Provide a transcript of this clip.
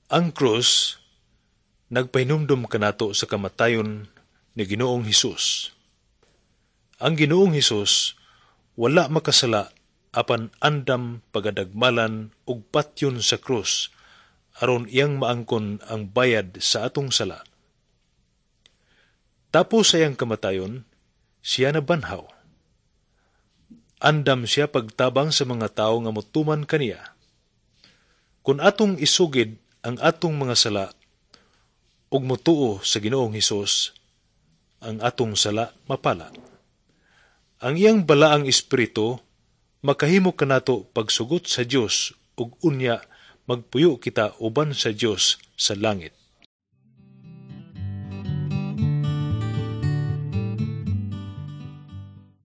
Ang krus nagpahinumdom kanato sa kamatayon ni Ginoong Hesus. Ang Ginoong Hesus wala makasala apan andam pagadagmalan ug patyon sa krus aron iyang maangkon ang bayad sa atong sala. Tapos sa iyang kamatayon, siya nabanhaw. Andam siya pagtabang sa mga tawo nga motuman kaniya. Kung atong isugid ang atong mga sala ug motuo sa Ginoong Hesus, ang atong sala mapala. Ang iyang balaang espiritu makahimo kanato pagsugot sa Dios ug unya magpuyo kita uban sa Dios sa langit.